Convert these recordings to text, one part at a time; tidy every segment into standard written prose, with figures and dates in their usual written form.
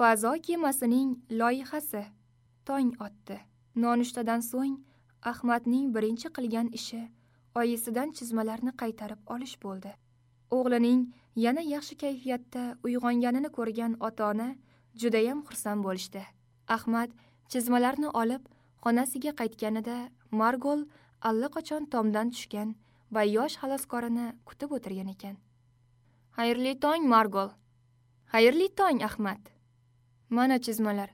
Fazo kemasining loyihasi. Tong otdi. Nonushtadan so'ng Ahmadning birinchi qilgan ishi oyisidan chizmalarni qaytarib olish bo'ldi. O'g'lining yana yaxshi kayfiyatda uyg'onganini ko'rgan ota-ona judayam xursand bo'lishdi. Ahmad chizmalarni olib xonasiga qaytganida Margol allaqachon tomdan tushgan va yosh xaloskorini kutib o'tirgan ekan. Xayrli tong, Margol. Xayrli tong, Ahmad. Mana chizmalar.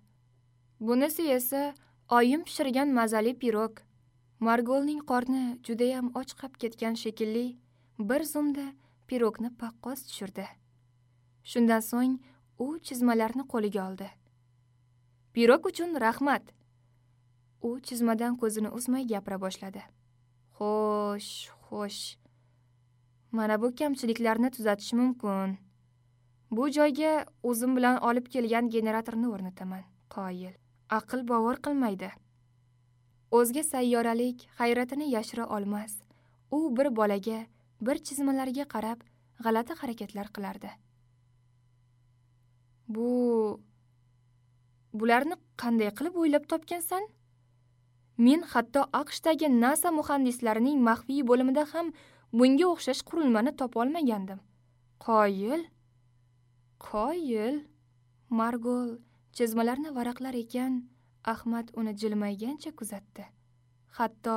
Bunisi esa oyim pishirgan mazali pirog. Margolning qorni judayam och qolib ketgan shekilli, bir zumda pirogni paqqos tushirdi. Shundan so'ng u chizmalarni qo'liga oldi. Pirog uchun rahmat. U chizmadan ko'zini uzmay gapira boshladi. Xo'sh, xo'sh. Mana bu kamchiliklarni tuzatish mumkin. Bu joyga o'zim bilan olib kelgan generatorni o'rnataman. Qoyil. Aql bovar qilmaydi. O'zga sayyoralik hayratini yashira olmas. U bir bolaga, bir chizmalarga qarab g'alati harakatlar qilardi. Bularni qanday qilib o'ylab topgansan? Men hatto AQShdagi NASA muhandislarining maxfiy bo'limida ham bunga o'xshash qurilmani topa olmagandim. Qoyil. Qoyil. Margol chizmalarni varaqlar ekan, Ahmad uni jilmaygancha kuzatdi. Hatto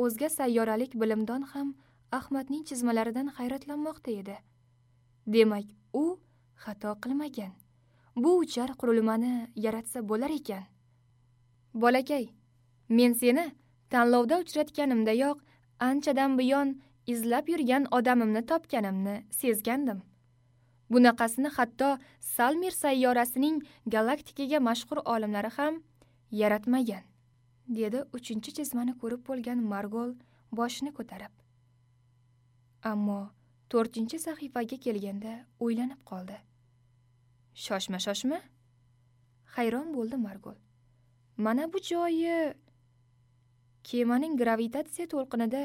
o'zga sayyoralik bilimdon ham Ahmadning chizmalaridan hayratlanmoqda edi. Demak, u xato qilmagan. Bu uchar qurilmani yaratsa bo'lar ekan. Bolakay, men seni tanlovda uchratganimdayoq anchadan buyon izlab yurgan odamimni topganimni sezgandim. Bunaqasini hatto Salmir sayyorasining galaktikaga mashhur olimlari ham yaratmagan, dedi 3-chi chizmani ko'rib bo'lgan Margol boshini ko'tarib. Ammo 4-chi sahifaga kelganda o'ylanib qoldi. Shoshma, shoshma. Hayron bo'ldi Margol. Mana bu joyi kemaning gravitatsiya to'lqinida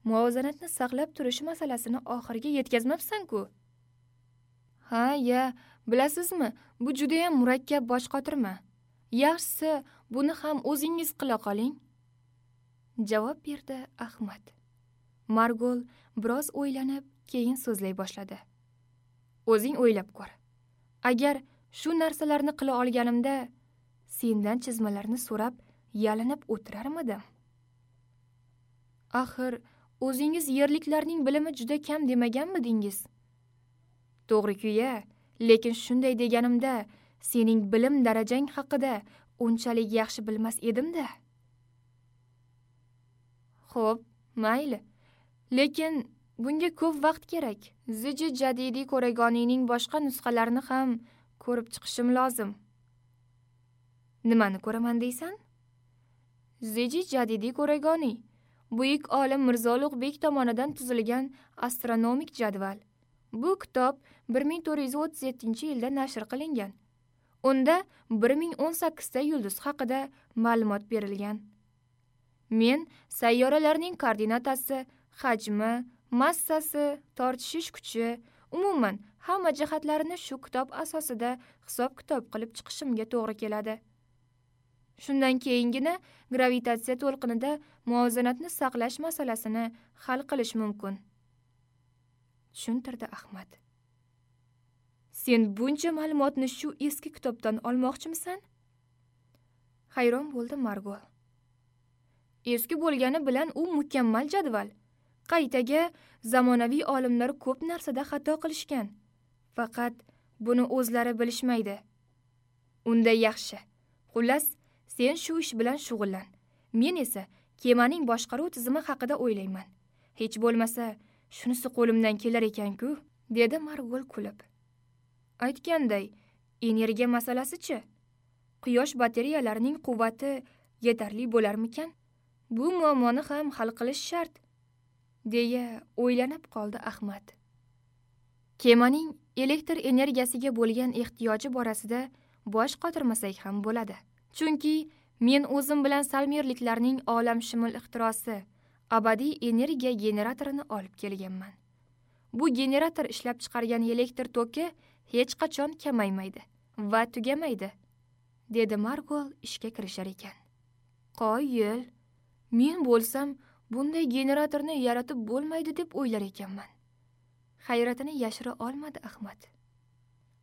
muvozanatni saqlab turishi masalasini oxiriga yetkazmabsan-ku. Ha, ya, bilasizmi, bu juda ham murakkab boshqotirma. Yaxshisi, buni ham o'zingiz qila qoling, javob berdi Ahmad. Margol biroz o'ylanib, keyin so'zlay boshladi. O'zing o'ylab ko'r. Agar shu narsalarni qila olganimda, sendan chizmalarni so'rab yalinib o'tirarmidim? Axir, o'zingiz yerliklarning bilimi juda kam demaganmidingiz? To'g'ri-ku-ya, lekin shunday deganimda sening bilim darajang haqida unchalik yaxshi bilmas edim-da. Xo'p, mayli. Lekin bunga ko'p vaqt kerak. Ziji Jadidi Ko'ragoniyning boshqa nusxalarini ham ko'rib chiqishim lozim. Nimani ko'raman deysan? Ziji Jadidi Ko'ragoniy, buyuk olim Mirzo Ulug'bek tomonidan tuzilgan astronomik jadval. Bu kitob 1437-yilda nashr qilingan. Unda 1018 ta yulduz haqida ma'lumot berilgan. Men sayyoralarning koordinatasi, hajmi, massasi, tortishish kuchi, umuman hamma jihatlarini shu kitob asosida hisob-kitob qilib chiqishimga to'g'ri keladi. Shundan keyingina gravitatsiya to'lqinida muvozanatni saqlash masalasini hal qilish mumkin, tushuntirdi Ahmad. Sen buncha ma'lumotni shu eski kitobdan olmoqchimisan? Hayron bo'ldi Margol. Eski bo'lgani bilan u mukammal jadval. Qaytaga zamonaviy olimlar ko'p narsada xato qilishgan. Faqat buni o'zlari bilishmaydi. Unda yaxshi. Xullas, sen shu ish bilan shug'ullan. Men esa kemaning boshqaruv tizimi haqida o'ylayman. Hech bo'lmasa, shunisi qo'limdan kelar ekan-ku, dedi Margol kulib. Aytganday, energiya masalasi-chi? Quyosh batareyalarining quvvati yetarli bo'larmikan? Bu muammoni ham hal qilish shart, deya o'ylanib qoldi Ahmad. Kemaning elektr energiyasiga bo'lgan ehtiyoji borasida bosh qotirmasak ham bo'ladi. Chunki men o'zim bilan salmirliklarning olamshumul ixtirosi abadiy energiya generatorini olib kelganman. Bu generator ishlab chiqargan elektr toki hech qachon kamaymaydi. va tugamaydi, dedi Margol ishga kirishar ekan. Qoyil, men bo'lsam bunday generatorni yaratib bo'lmaydi deb o'ylar ekanman. Hayratini yashira olmadi Ahmad.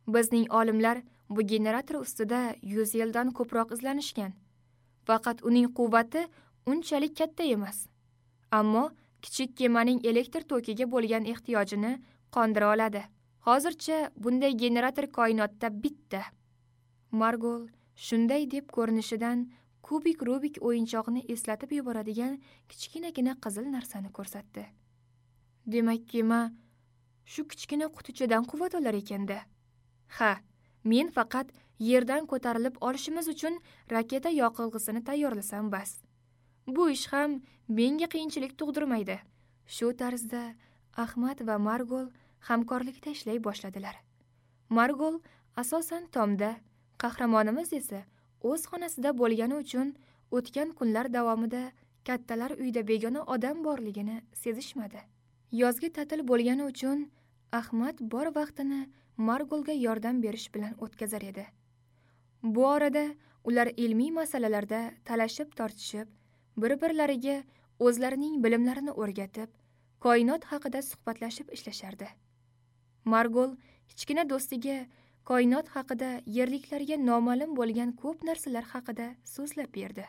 Bizning olimlar bu generator ustida 100 yildan ko'proq izlanishgan. Faqat uning quvvati unchalik katta emas. Ammo kichik kemaning elektr tokiga bo'lgan ehtiyojini qondira oladi. Hozircha bunday generator koinotda bitta. Margol shunday deb ko'rinishidan kubik Rubik o'yinchog'ini eslatib yuboradigan kichkinagina qizil narsani ko'rsatdi. Demak, kema shu kichkina qutichadan quvvat olar ekanda. Ha, men faqat yerdan ko'tarilib olishimiz uchun raketa yoqilg'isini tayyorlasam bas. Bu ish ham menga qiyinchilik tug'dirmaydi. Shu tarzda Ahmad va Margol hamkorlikda ishlay boshladilar. Margol asosan tomda, qahramonimiz esa o'z xonasida bo'lgani uchun o'tgan kunlar davomida kattalar uyda begona odam borligini sezishmadi. Yozgi ta'til bo'lgani uchun Ahmad bor vaqtini Margolga yordam berish bilan o'tkazar edi. Bu orada ular ilmiy masalalarda talashib-tortishib, bir-birlariga o'zlarining bilimlarini o'rgatib, koinot haqida suhbatlashib ishlashardi. Margol kichkina do'stiga koinot haqida yerliklarga noma'lum bo'lgan ko'p narsalar haqida so'zlab berdi.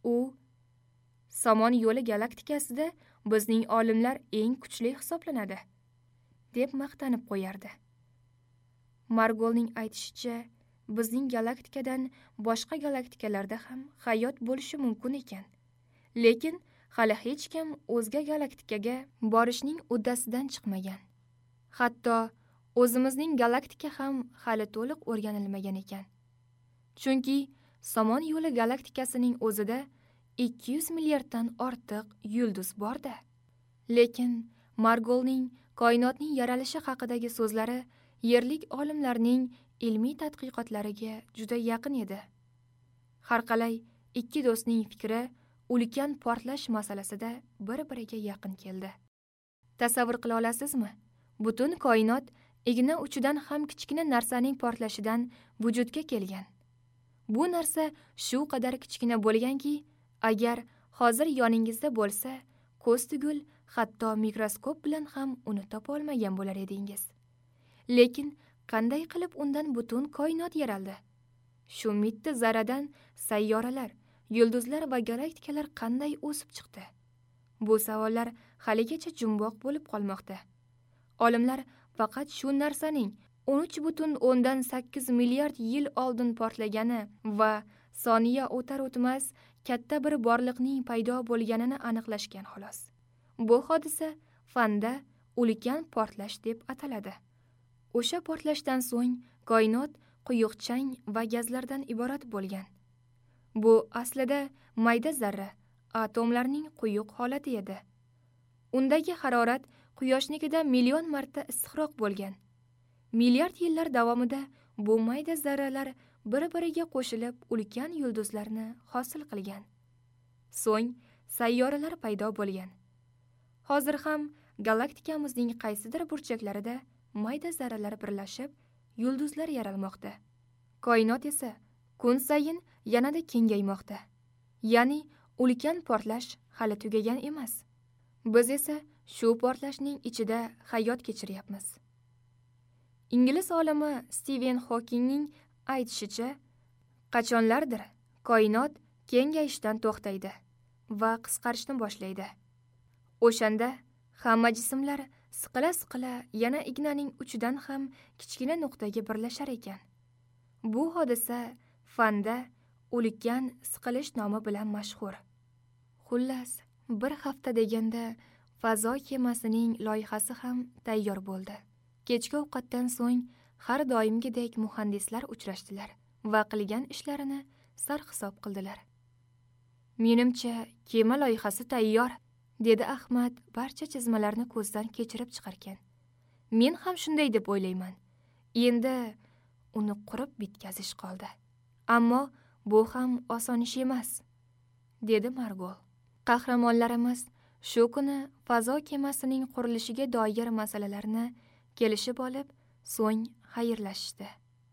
U Somon yo'li galaktikasida bizning olimlar eng kuchli hisoblanadi, deb maqtanib qo'yardi. Margolning aytishicha, bizning galaktikadan boshqa galaktikalarda ham hayot bo'lishi mumkin ekan. Lekin hali hech kim o'zga galaktikaga borishning uddasidan chiqmagan. Hatto o'zimizning galaktika ham hali to'liq o'rganilmagan ekan. Chunki Somon yo'li galaktikasining o'zida 200 milliarddan ortiq yulduz bor-da. Lekin Margolning koinotning yaralishi haqidagi so'zlari yerlik olimlarning ilmiy tadqiqotlariga juda yaqin edi. Har qalay ikki do'stning fikri ulkan portlash masalasida bir-biriga yaqin keldi. Tasavvur qila olasizmi? Butun koinot igna uchidan ham kichkina narsaning portlashidan vujudga kelgan. Bu narsa shu qadar kichkina bo'lganki, agar hozir yoningizda bo'lsa, ko'z tugul, hatto mikroskop bilan ham uni topa olmagan bo'lar edingiz. Lekin qanday qilib undan butun koinot yaraldi? Shu mitti zarradan sayyoralar, yulduzlar va galaktikalar qanday o'sib chiqdi? Bu savollar haligacha jumboq bo'lib qolmoqda. Olimlar faqat shu narsaning 13.8 milliard yil oldin portlagani va soniya o'tar-o'tmas katta bir borliqning paydo bo'lganini aniqlashgan xolos. Bu hodisa fanda ulkan portlash deb ataladi. O'sha portlashdan so'ng koinot quyuq chang va gazlardan iborat bo'lgan. Bu aslida mayda zarra, atomlarning quyuq holati edi. Undagi harorat Quyoshnikida million marta issiqroq bo'lgan. Milliard yillar davomida bu mayda zarralar bir-biriga qo'shilib ulkan yulduzlarni hosil qilgan. So'ng sayyoralar paydo bo'lgan. Hozir ham galaktikamizning qaysidir burchaklarida mayda zarralar birlashib, yulduzlar yaralmoqda. Koinot esa kun sayin yanada kengaymoqda. Ya'ni ulkan portlash hali tugagan emas. Biz esa shu portlashning ichida hayot kechiryapmiz. Ingliz olimi Stiven Hokingning aytishicha, qachonlardir koinot kengayishdan to'xtaydi va qisqarishni boshlaydi. O'shanda hamma jismlar siqila-siqila yana ignaning uchidan ham kichkina nuqtaga birlashar ekan. Bu hodisa fanda ulkan siqilish nomi bilan mashhur. Xullas, bir hafta deganda fazo kemasining loyihasi ham tayyor bo'ldi. Kechki ovqatdan so'ng har doimgidek muhandislar uchrashdilar va qilgan ishlarini sarhisob qildilar. Menimcha, kema loyihasi tayyor, dedi Ahmad barcha chizmalarni ko'zdan kechirib chiqarkan. Men ham shunday deb o'ylayman. Endi uni qurib bitkazish qoldi. Ammo bu ham oson ish emas, dedi Margol. Qahramonlarimiz shu kuni fazo kemasining qurilishiga doir masalalarni kelishib olib, so'ng xayrlashishdi.